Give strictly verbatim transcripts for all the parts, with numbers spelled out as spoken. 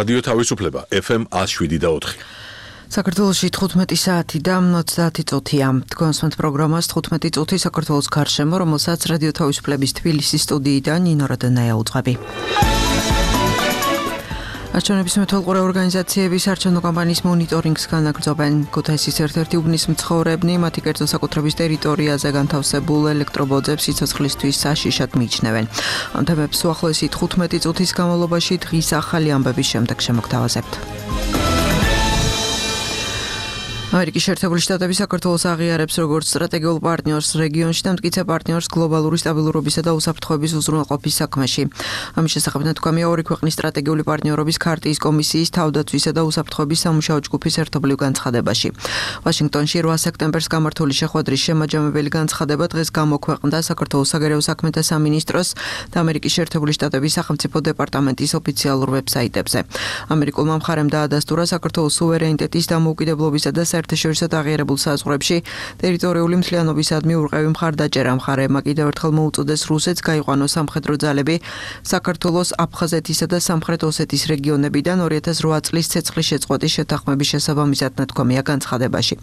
რადიო თავისუფლება ეფ ემ ათს შვიდი და ოთხი. საქართველოში თხუთმეტი საათი და ოცდაათი წუთია. თქვენს პროგრამას თხუთმეტი წუთი საქართველოს გარშემო, რომელსაც რადიო თავისუფლების თბილისის სტუდიიდან ნინო რადანაია უძღვები. არჩევნების მეთვალყურე ორგანიზაციების არჩევნო კამპანიის მონიტორინგს განაგრძობენ. ქუთაისის ერთ-ერთი უბნის მცხოვრებნი მათი კერძო საკუთრების ტერიტორიაზე განთავსებულ ელექტრობოძებს სიცოცხლისთვის საშიშად მიიჩნევენ. ამ თემებს უახლოესი თხუთმეტი წუთის განმავლობაში დღის ახალი ამბების შემდეგ შემოგთავაზებთ. ამერიკის შეერთებული შტატები საქართველოს აღიარებს როგორც სტრატეგიულ პარტნიორს რეგიონში და მტკიცე პარტნიორს გლობალური სტაბილურობისა და უსაფრთხოების უზრუნველყოფის საქმეში. ამის შესახებ ნათქვამია ორი ქვეყნის სტრატეგიული პარტნიორობის ქარტიის კომისიის თავდაცვისა და უსაფრთხოების სამუშაო ჯგუფის ერთობლივ განცხადებაში. ვაშინგტონში რვა სექტემბერს გამართული შეხვედრის შემაჯამებელი განცხადება დღეს გამოქვეყნდა საქართველოს საგარეო საქმეთა სამინისტროს და ამერიკის შეერთებული შტატების სახელმწიფო დეპარტამენტის ოფიციალურ ვებსაიტებზე. ამერიკულმა მხარემ დაადასტურა საქართველოს სუვერენიტეტის დამოუკიდებლობისა და საერთაშორისო აღიარებულ საზღვრებში ტერიტორიული მთლიანობისადმი ურყევი მხარდაჭერა. მხარეებმა კიდევ ერთხელ მოუწოდეს რუსეთს გაიყვანოს სამხედრო ძალები საქართველოს, აფხაზეთისა და სამხრეთ ოსეთის რეგიონებიდან ორი ათას რვა წლის ცეცხლის შეწყვეტის შეთანხმების შესაბამისად ნათქვამია განცხადებაში.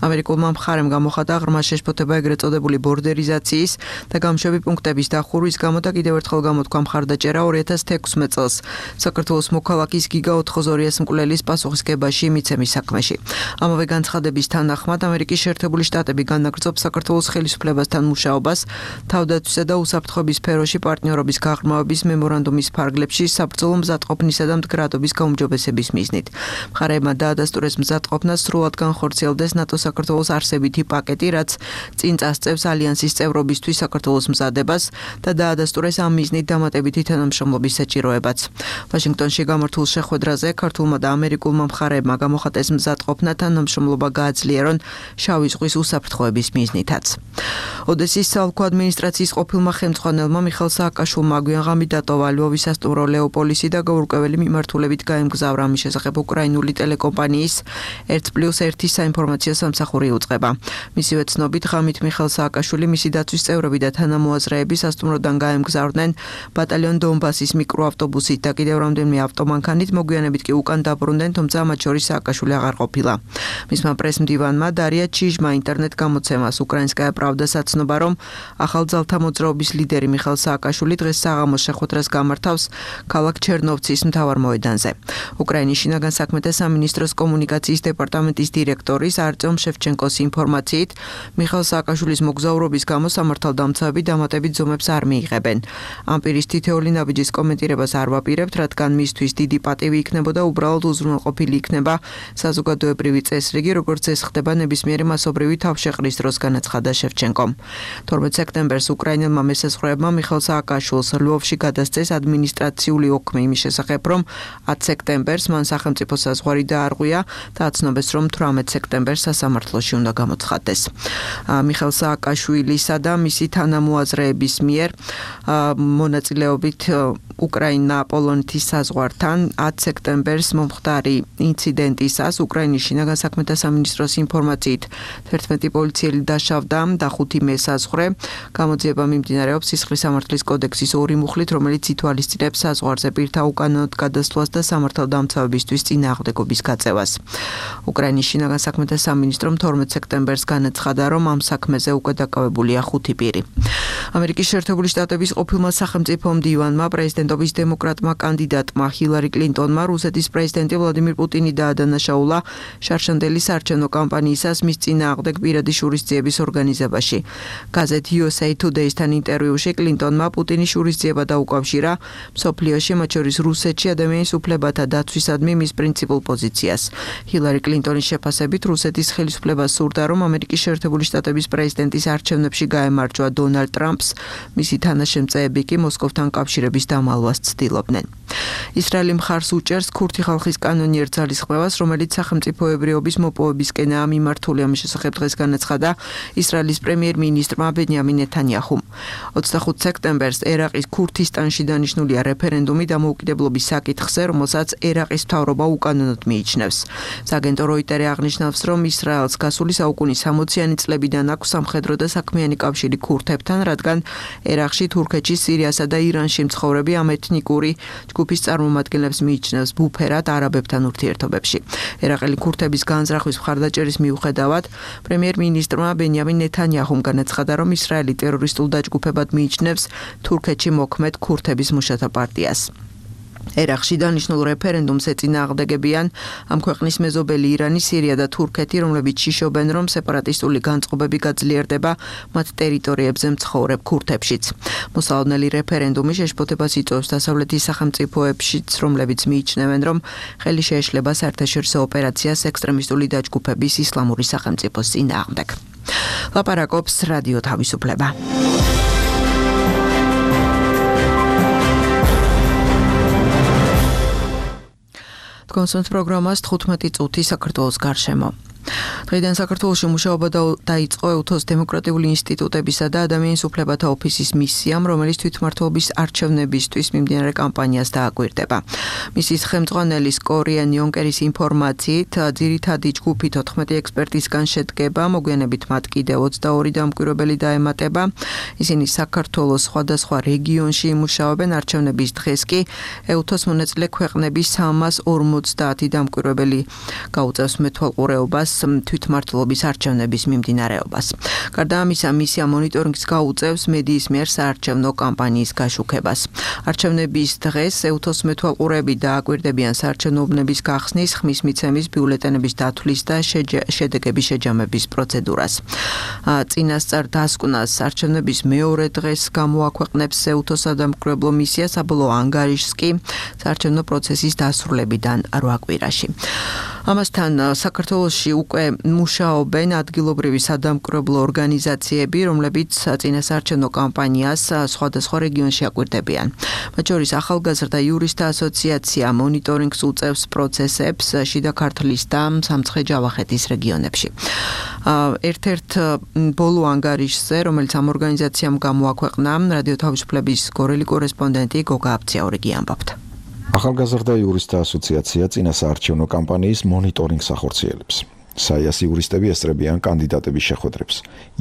ამერიკულმა მხარემ გამოხატა ღრმა შეშფოთება ეგრეთ წოდებული ბორდერიზაციის და გამშვები პუნქტების დახურვის გამო და კიდევ ერთხელ გამოთქვა მხარდაჭერა ორი ათას თექვსმეტ წელს საქართველოს მოქალაქის გიგა ოთხზორიას მკვლელის პასუხისგებაში მიცემის საქმეში. ამავე განცხადების თანახმად ამერიკის შეერთებული შტატები განაგრძობს საქართველოს ხელისუფლებასთან მუშაობას თავდაცვისა და უსაფრთხოების სფეროში პარტნიორობის გაღრმავების მემორანდუმის ფარგლებში საბრძოლო მზადყოფნისა და მდგრადობის გაუმჯობესების მიზნით. მხარეებმა დაადასტურეს მზადყოფნა სრულად განხორციელდეს ნატო საქართველოს არსებითი პაკეტი, რაც წინ წასწევს ალიანსის წევრობისთვის საქართველოს მზადებას და დაადასტურეს ამ მიზნით დამატებითი თანამშრომლობის საჭიროებაც. ვაშინგტონში გამართულ შეხვედრაზე ქართულმა და ამერიკულმა მხარეებმა გამოხატეს მზადყოფნა თანამშრომლობა გააძლიერონ შავი ზღვის უსაფრთხოების მიზნითაც. ოდესის საოლქო ადმინისტრაციის ყოფილმა ხელმძღვანელმა მიხეილ სააკაშვილმა გვიანღამით დატოვა ლვოვის სასტუმრო ლეოპოლისი და გაურკვეველი მიმართულებით გაემგზავრა. ამის შესახებ უკრაინული ტელეკომპანიის ერთ პლუს ერთი საინფორმაციო სამსახური უწყება. მისივე ცნობით ღამით მიხეილ სააკაშვილი, მისი დაცვის წევრები და თანამოაზრეები სასტუმროდან გაემგზავრნენ ბატალიონ დონბასის მიკროავტობუსით და კიდევ რამდენიმე ავტომანქანით, მოგვიანებით კი უკან დაბრუნდნენ, თუმცა მათ შორის სააკაშვილი აღარ ყოფილა. მისმა პრესმდივანმა დარია ჩიჟმა ინტერნეტ გამოცემას უკრაინსკაია პრავდას აცნობა, რომ ახალ ძალთა მოძრაობის ლიდერი მიხეილ სააკაშვილი დღეს საღამოს შეხვედრას გამართავს ქალაქ ჩერნოვცის მთავარ მოედანზე. უკრაინის შინაგან საქმეთა სამინისტროს კომუნიკაციის დეპარტამენტის დირექტორის არტემ შევჩენკოს ინფორმაციით, მიხეილ სააკაშვილის მოგზაურობის გამო სამართალდამცავები დამატებით ზომებს არ მიიღებენ. ამ პირის თითოეული ნაბიჯის კომენტირებას არ ვაპირებთ, რადგან მისთვის დიდი პატივი იქნებოდა, უბრალოდ უზრუნველყოფილი იქნება საზოგადოებრივი წესრიგი, როგორც ეს ხდება ნებისმიერი მასობრივი თავშეყრის დროს, განაცხადა შევჩენკომ. თორმეტ სექტემბერს უკრაინელმა მესაზღვრეებმა მიხეილ სააკაშვილს ლვოვში გადასცეს ადმინისტრაციული ოქმი იმის შესახებ, რომ ათ სექტემბერს მან სახელმწიფო საზღვარი დაარღვია და აცნობეს, რომ თვრამეტ სექტემბერს სასამართლოში უნდა გამოცხადდეს. მიხეილ სააკაშვილისა და მისი თანამოაზრეების მიერ მონაწილეობით უკრაინა პოლონეთის საზღვართან ათ სექტემბერს მომხდარი ინციდენტისას უკრაინის შინაგან საქმეთა სამინისტროს ინფორმაციით თერთმეტი პოლიციელი დაშავდა და ხუთი მესაზღვრე. გამოძიება მიმდინარეობს სისხლის სამართლის კოდექსის ორი მუხლით, რომელიც ითვალისწინებს საზღვარზე პირთა უკანონოდ გადასვლას და სამართალდამცავებისთვის წინააღმდეგობის გაწევას. უკრაინის შინაგან საქმეთა სამინისტრომ თორმეტ სექტემბერს განაცხადა, რომ ამ საქმეზე უკვე დაკავებულია ხუთი პირი. ამერიკის შეერთებული შტატების ყოფილმა სახელმწიფო მდივანმა პრეზიდენტობის დემოკრატმა კანდიდატმა ჰილარი კლინტონმა რუსეთის პრეზიდენტი ვლადიმირ პუტინი დაადანაშაულა შარშანდელი საარჩევნო კამპანიისას მის წინააღმდეგ პირადი შურისძიების ორგანიზებაში. გაზეთ იუ ეს έი Today-სთან ინტერვიუში კლინტონმა პუტინის შურისძიება დაუკავშირა მსოფლიოში, მათ შორის რუსეთში ადამიანის უფლებათა დაცვისადმი მის პრინციპულ პოზიციას. ჰილარი კლინტონის შეფასებით რუსეთის ხელისუფლებას სურდა, რომ ამერიკის შეერთებული შტატების პრეზიდენტის არჩევნებში გაემარჯვა დონალდ ტრამპს, მისი თანაშემწეები კი მოსკოვთან კავშირების დამალვას ცდილობდნენ. ისრაელი მხარს უჭერს ქურთი ხალხის კანონიერ ძალისხმევას, რომელიც სახელმწიფოებრიობის მოპოვებისკენაა მიმართული. ამის შესახებ დღეს განაცხადა ისრაელის პრემიერ-მინისტრმა ბენიამინ ნეთანიაჰუმ. ოცდახუთ სექტემბერს ერაყის ქურთისტანში დანიშნულია რეფერენდუმი დამოუკიდებლობის საკითხზე, რომელსაც ერაყის მთავრობა უკანონოდ მიიჩნევს. სააგენტო როიტერი აღნიშნავს, რომ ისრაელს გასული საუკუნის სამოციანი წლებიდან აქვს სამხედრო და საქმიანი კავშირი ქურთებთან, რადგან ერაყში, თურქეთში, სირიასა და ირანში მცხოვრები ამ ეთნიკური ჯგუფის წარმომადგენლებს მიიჩნევს ბუფერად არაბებთან ურთიერთობებში. ერაყელი ქურთების განზრახვის მხარდაჭერის მიუხედავად, პრემიერ-მინისტრმა ბენიამინ ნეთანიაჰუმ განაცხადა, რომ ისრაელი ტერორისტულ დაჯგუფებად მიიჩნევს თურქეთში მოქმედ ქურთების მუშათა პარტიას. ერაყში დანიშნულ რეფერენდუმს ეწინააღმდეგებიან ამ ქვეყნის მეზობელი ირანი, სირია და თურქეთი, რომლებიც შიშობენ, რომ სეპარატისტული განწყობები გაძლიერდება მათ ტერიტორიებზე მცხოვრებ ქურთებშიც. მოსალოდნელი რეფერენდუმი შეშფოთებას იწვევს დასავლეთის სახელმწიფოებშიც, რომლებიც მიიჩნევენ, რომ ხელი შეეშლება საერთაშორისო ოპერაციას ექსტრემისტული დაჯგუფების ისლამური სახელმწიფოს წინააღმდეგ. ლაპარაკობს რადიო თავისუფლება. კონსულტ პროგრამას თხუთმეტი წუთი საქართველოს გარშემო. დღეიდან საქართველოში მუშაობა დაიწყო ევთოს დემოკრატიული ინსტიტუტებისა და ადამიანის უფლებათა ოფისის მისიამ, რომელიც თვითმმართველობის არჩევნებისთვის მიმდინარე კამპანიას დააკვირდება. მისის ხელმძღვანელის კორიენ იონკერის ინფორმაციით, ძირითადი ჯგუფი თოთხმეტი ექსპერტისგან შედგება, მოგვიანებით მათ კიდევ ოცდაორი დამკვირვებელი დაემატება. ისინი საქართველოს სხვადასხვა რეგიონში იმუშაობენ, არჩევნების დღეს კი ევთოს მონაწილე ქვეყნების სამას ორმოცდაათი დამკვირვებელი გაუწევს მეთვალყურეობას თვითმმართველობის არჩევნების მიმდინარეობას. გარდა ამისა, მისია მონიტორინგს გაუწევს მედიის მიერ საარჩევნო კამპანიის გაშუქებას. არჩევნების დღეს ევთოს მეთვალყურეები დააკვირდებიან საარჩევნო უბნების გახსნის, ხმის მიცემის, ბიულეტენების დათვლის და შედეგების შეჯამების პროცედურას. წინასწარ დასკვნას არჩევნების მეორე დღეს გამოაქვეყნებს ევთოს სადამკვირვებლო მისია, საბოლოო ანგარიშს კი საარჩევნო პროცესის დასრულებიდან რვა კვირაში. ამასთან საქართველოში უკვე მუშაობენ ადგილობრივი სადამკვირვებლო ორგანიზაციები, რომლებიც წინასაარჩევნო კამპანიას სხვადასხვა რეგიონში აკვირდებიან. მათ შორის ახალგაზრდა იურისტთა ასოციაცია მონიტორინგს უწევს პროცესებს შიდა ქართლის და სამცხე-ჯავახეთის რეგიონებში. ერთ-ერთ ბოლო ანგარიშზე, რომელიც ამ ორგანიზაციამ გამოაქვეყნა, რადიო თავისუფლების გორელი კორესპონდენტი გოგა აბციაურიგი ამბობთ. ახალგაზრდა იურისტთა ასოციაცია წინასაარჩევნო კამპანიის მონიტორინგს ახორციელებს. საიას იურისტები ესწრებიან კანდიდატების შეხვედრებს,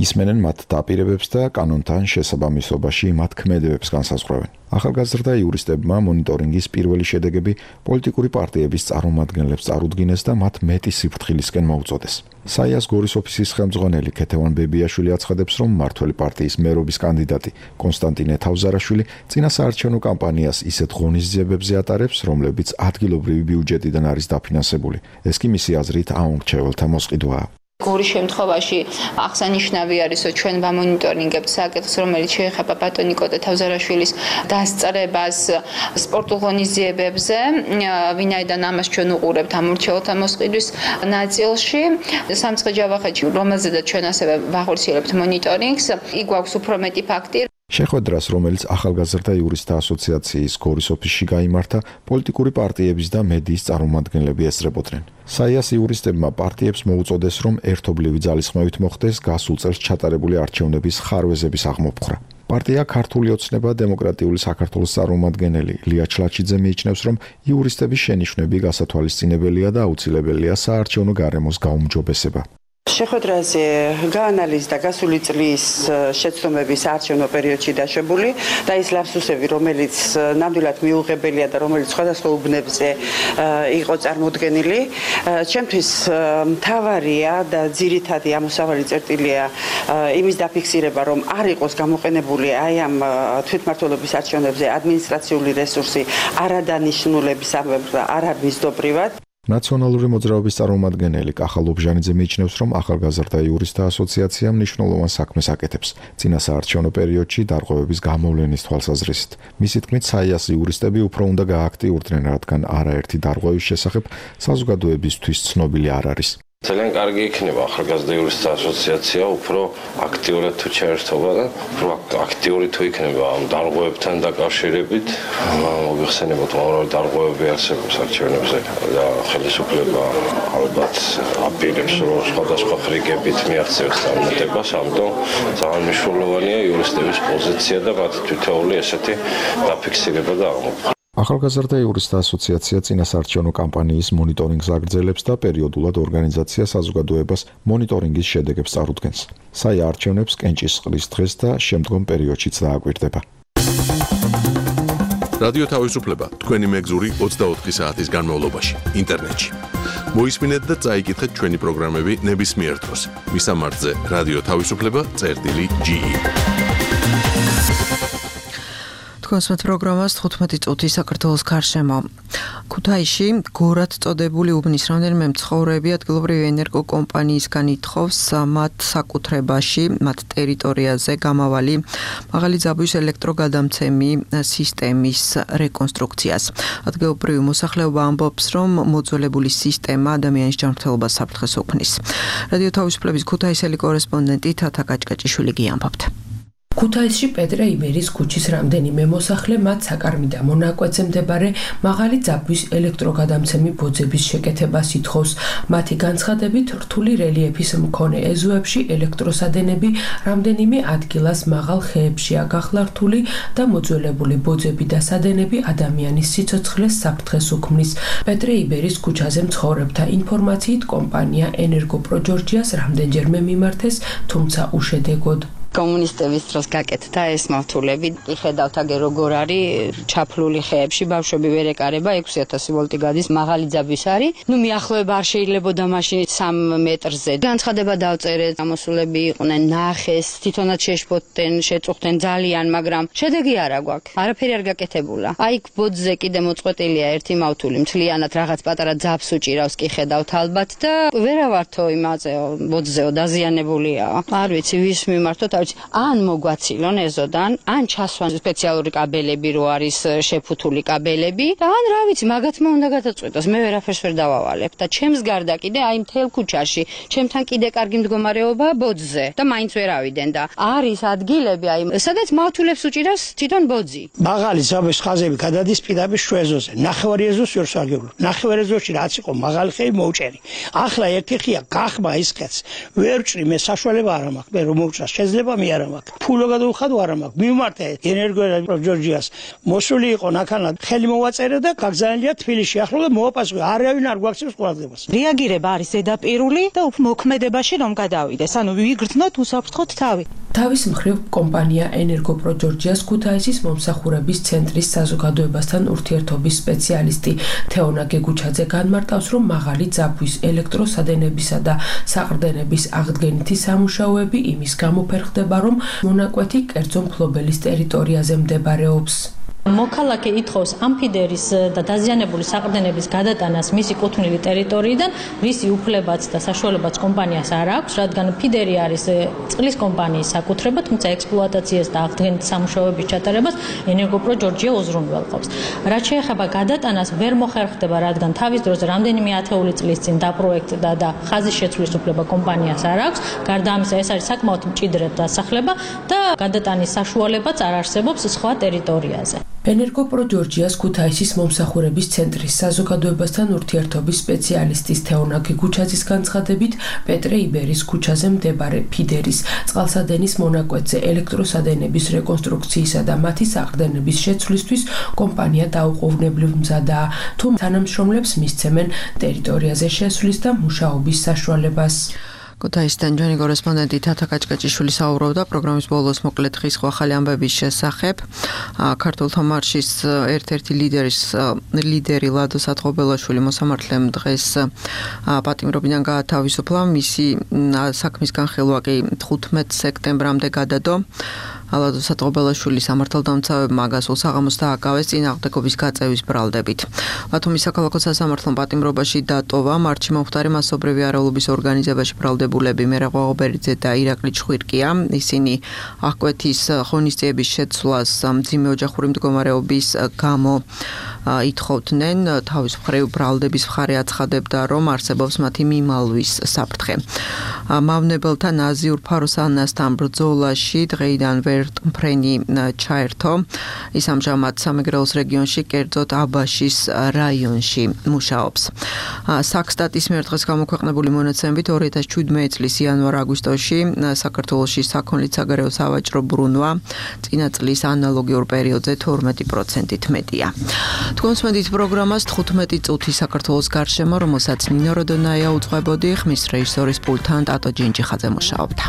ისმენენ მათ დაპირებებს და კანონთან შესაბამისობაში მათ ქმედებებს განსაზღვრავენ. ახალგაზრდა იურისტებმა მონიტორინგის პირველი შედეგები პოლიტიკური პარტიების წარმომადგენლებს წარუდგინეს და მათ მეტი სიფრთხილისკენ მოუწოდეს. საიას გორის ოფისის ხელმძღვანელი ქეთევან ბებიაშვილი აცხადებს, რომ მმართველი პარტიის მერობის კანდიდატი კონსტანტინე თავზარაშვილი წინასაარჩევნო კამპანიას ისეთ ღონისძიებებზე ატარებს, რომლებიც ადგილობრივი ბიუჯეტიდან არის დაფინანსებული. ეს კი მისი აზრით აუმრჩეველთა მოსყიდვაა. გორის შემთხვევაში აღსანიშნავი არის, რომ ჩვენ ვამონიტორინგებთ საკითხს, რომელიც შეეხება ბატონი კოტე თავზარაშვილის დასწრებას სპორტულ ღონისძიებებზე, ვინაიდან ამას ჩვენ უყურებთ ამორჩეულთა მოსყიდვის ნაწილში. სამცხე-ჯავახეთში, რომელზედაც ჩვენ ასევე ვახორციელებთ მონიტორინგს, იქ გვაქვს უფრო მეტი ფაქტი. შეხვედრას, რომელიც ახალგაზრდა იურისტთა ასოციაციის გორის ოფისში გაიმართა, პოლიტიკური პარტიების და მედიის წარმომადგენლები ესწრებოდნენ. საიას იურისტებმა პარტიებს მოუწოდეს, რომ ერთობლივი ძალისხმევით მოხდეს გასულ წელს ჩატარებული არჩევნების ხარვეზების აღმოფხვრა. პარტია ქართული ოცნება დემოკრატიული საქართველოს წარმომადგენელი ლია ჩლაჩიძე მიიჩნევს, რომ იურისტების შენიშვნები გასათვალისწინებელია და აუცილებელია საარჩევნო გარემოს გაუმჯობესება. შეხვედრაზე გაანალიზდა გასული წლის შეცდომების არჩევნო პერიოდში დაშვებული და ის ლაფსუსები, რომელიც ნამდვილად მიუღებელია და რომელიც სხვადასხვა უბნებზე იყო წარმოდგენილი. ჩემთვის მთავარია და ძირითადი ამოსავალი წერტილია იმის დაფიქსირება, რომ არ იყოს გამოყენებული აი ამ თვითმმართველობის არჩევნებზე ადმინისტრაციული რესურსი არადანიშნულების ამბებს და არამიზდობრივად. ნაციონალური მოძრაობის წარმომადგენელი კახა ლობჟანიძე მიიჩნევს, რომ ახალგაზრდა იურისტთა ასოციაცია მნიშვნელოვან საქმეს აკეთებს წინასაარჩევნო პერიოდში დარღვევების გამოვლენის თვალსაზრისით. მისი თქმით, საიას იურისტები უფრო უნდა გააქტიურდნენ, რადგან არაერთი დარღვევის შესახებ საზოგადოებისთვის ცნობილი არ არის. ძალიან კარგი იქნება ახალგაზრდა იურისტთა ასოციაცია უფრო აქტიურად თუ ჩაერთობა და უფრო აქტიური თუ იქნება ამ დარღვევებთან დაკავშირებით. მოგეხსენებათ, უამრავი დარღვევები არსებობს არჩევნებზე და ხელისუფლება ალბათ აპირებს, რომ სხვადასხვა ხრიგებით მიაღწევს წარმატებას, ამიტომ ძალიან მნიშვნელოვანია იურისტების პოზიცია და მათ თითოეული ესეთი დაფიქსირება და აღმოფხვრა. ახალგაზრდა იურისტთა ასოციაცია წინასაარჩევნო კამპანიის მონიტორინგს აგრძელებს და პერიოდულად ორგანიზაცია საზოგადოებას მონიტორინგის შედეგებს წარუდგენს. საია არჩევნებს კენჭისყრის დღეს და შემდგომ პერიოდშიც დააკვირდება. რადიო თავისუფლება თქვენი მეგზური ოცდაოთხი საათის განმავლობაში ინტერნეტში. მოისმინეთ და წაიკითხეთ ჩვენი პროგრამები ნებისმიერ დროს. მისამართზე რადიო თავისუფლება წერტილი ჯი ი. თქვენს პროგრამას თხუთმეტი წუთი საქართველოს გარშემო. ქუთაისში გორად წოდებული უბნის რამდენიმე მცხოვრები ადგილობრივი ენერგოკომპანიისგან ითხოვს მათ საკუთრებაში, მათ ტერიტორიაზე გამავალი მაღალი ძაბვის ელექტროგადამცემი სისტემის რეკონსტრუქციას. ადგილობრივი მოსახლეობა ამბობს, რომ მოძველებული სისტემა ადამიანის ჯანმრთელობას საფრთხეს უქმნის. რადიო თავისუფლების ქუთაისელი კორესპონდენტი თათა კაჭკაჭიშვილი გიამბობთ. ქუთაისში პეტრე იბერის ქუჩის რამდენიმე მოსახლე მათ საკარმიდა მონაკვეთზე მდებარე მაღალი ძაბვის ელექტროგადამცემი ბოძების შეკეთებას ითხოვს. მათი განცხადებით, რთული რელიეფის მქონე ეზოებში ელექტროსადენები რამდენიმე ადგილას მაღალ ხეებშია გახლართული და მოძველებული ბოძები და სადენები ადამიანის სიცოცხლეს საფრთხეს უქმნის. პეტრე იბერის ქუჩაზე მცხოვრებთა ინფორმაციით, კომპანია ენერგოპროჯორჯიას რამდენჯერმე მიმართეს, თუმცა უშედეგოდ. კომუნისტების დროს გაკეთდა ეს მავთულები. იხედავთ აგერ როგორ არის ჩაფლული ხეებში, ბავშვები ვერ ეკარება, ექვსი ათასი ვოლტი გადის, მაღალი ძაბვის არის. ნუ მიახლოება არ შეიძლებოდა მაშინ სამ მეტრზე. განცხადება დავწერეთ, გამოსულები იყვნენ, ნახეს, თვითონაც შეშფოთდნენ, შეწუხდნენ ძალიან, მაგრამ შედეგი არა გვაქვს. არაფერი არ გაკეთებულა. აი ბოძზე კიდე მოწყვეტილია ერთი მავთული, მთლიანად რაღაც პატარა ძაბს უჭირავს, კი ხედავთ ალბათ და ვერავართო იმაზეო, ბოძზეო დაზიანებულია. არ ვიცი, ვის მიმართოთ. ან მოგვაცილონ ეზოდან, ან ჩასვან სპეციალური კაბელები რო არის შეფუთული კაბელები და ან რა ვიცი, მაგათმა უნდა გადაწყვეტოს. მე ვერაფერს ვერ დავავალებ და ჩემს გარდა კიდე აი მთელ ქუჩაში, ჩემთან კიდე კარგი მდგომარეობა ბოძზე და მაინც ვერ ავიდენ და არის ადგილები აი სადაც მავთულებს უჭირავს თვითონ ბოძი. მაღალი ძაბვის ხაზები გადადის პირდაპირ შუეზოზე. ნახევარი ეზოს ვერ სარგებლობ. ნახევარი ეზოში რაც იყო მაღალი ხეი მოუჭერი. ახლა ერთი ხეა გახმა ის ხეც. ვერ ვჭრი მე საშუალება არ მაქვს. მე რომ მოვჭრა შეიძლება მე არ მაქვს. ფულო გადავხადო არ მაქვს. მიმართე ენერგოპროჯორჯიას. მოსული იყო ნახანად ხელი მოვაწერე და გაგზავნილია თბილისში. ახლა და მოვაპასუხე. არავინ არ გვაქცევს ყურადღებას. რეაგირება არის ზედაპირული და მოქმედებაში რომ გადავიდეს. ანუ ვიგრძნოთ, უსაფრთხოთ თავი. თავის მხრივ კომპანია ენერგოპროჯორჯიას ქუთაისის მომსახურების ცენტრის საზოგადოებასთან ურთიერთობის სპეციალისტი თეონა გეგუჩაძე განმარტავს, რომ მაღალი ძაბვის ელექტროსადენებისა და საყრდენების აღდგენითი სამუშაოები იმის გამო ფერხდება, რომ მონაკვეთი კერძო მფლობელის ტერიტორიაზე მდებარეობს. მოქალაქე ითხოვს ამფიდერის და დაზიანებული საყრდენების გადატანას მისი კუთვნილი ტერიტორიიდან, რისი უფლებაც და საშუალებაც კომპანიას არ აქვს, რადგან ფიდერი არის წყლის კომპანიის საკუთრება, თუმცა ექსპლუატაციას და აღდგენით სამუშაოების ჩატარებას ენერგოპროჯორჯია უზრუნველყოფს. რაც შეეხება გადატანას, ვერ მოხერხდება, რადგან თავის დროზე რამდენიმე ათეული წლის წინ დაპროექტდა და ხაზის შეცვლის უფლება კომპანიას არ აქვს. გარდა ამისა, ეს არის საკმაოდ მჭიდრე დასახლება და გადატანის საშუალებაც არ არსებობს სხვა ტერიტორიაზე. ენერგოპროჯორჯიას ქუთაისის მომსახურების ცენტრის საზოგადოებასთან ურთიერთობის სპეციალისტის თეონა გეგუჩაძის განცხადებით, პეტრე იბერის ქუჩაზე მდებარე ფიდერის წყალსადენის მონაკვეთზე ელექტროსადენების რეკონსტრუქციისა და მათი საყრდენების შეცვლისთვის კომპანია დაუყოვნებლივ მზადაა, თუ თანამშრომლებს მისცემენ ტერიტორიაზე შესვლის და მუშაობის საშუალებას. ქუთაისიდან ჩვენი კორესპონდენტი თათა კაჭკაჭიშვილი საუბრობდა პროგრამის ბოლოს მოკლედ ხის ახალი ამბების შესახებ. ქართულთა მარშის ერთ-ერთი ლიდერის ლიდერი ლადო სათხობელაშვილი მოსამართლემ დღეს პატიმრობიდან გაათავისუფლა. მისი საქმის განხილვა კი თხუთმეტ სექტემბრამდე გადადო. ლადო სათხობელაშვილი სამართალდამცავებმა გასულ საღამოს დააკავეს წინააღმდეგობის გაწევის ბრალდებით. ბათუმის საქალაქო სასამართლომ პატიმრობაში დატოვა მარტში მომხდარი მასობრივი არეულობის ორგანიზებაში ბრალდებულები მერაღვ ღობერიძე და ირაკლი ჩხვირკია. ისინი აღკვეთის ღონისძიების შეცვლას მძიმე ოჯახური მდგომარეობის გამო ითხოვდნენ. თავის მხრივ ბრალდების მხარე აცხადებდა, რომ არსებობს მათი მიმალვის საფრთხე. მავნებელთა ნაზიურ ფაროსანასთან ბრძოლაში დღეიდან ვერტმფრენი ჩაერთო. ის ამჟამად სამეგრელოს რეგიონში, კერძოდ აბაშის რაიონში მუშაობს. საქსტატის მიერ დღეს გამოქვეყნებული მონაცემებით ორი ათას შვიდმეტი წლის იანვარ-აგვისტოში საქართველოში საქონლის საგარეო სავაჭრო ბრუნვა წინა წლის ანალოგიურ პერიოდზე თორმეტი პროცენტით მეტია. თქვენს მედით პროგრამას თხუთმეტი წუთი საქართველოს გარშემო, რომელსაც ნინო როდონაია უძღვებოდი, ხმის რეჟისორის პულტთან ტატო ჯინჯიხაძე მუშაობდა.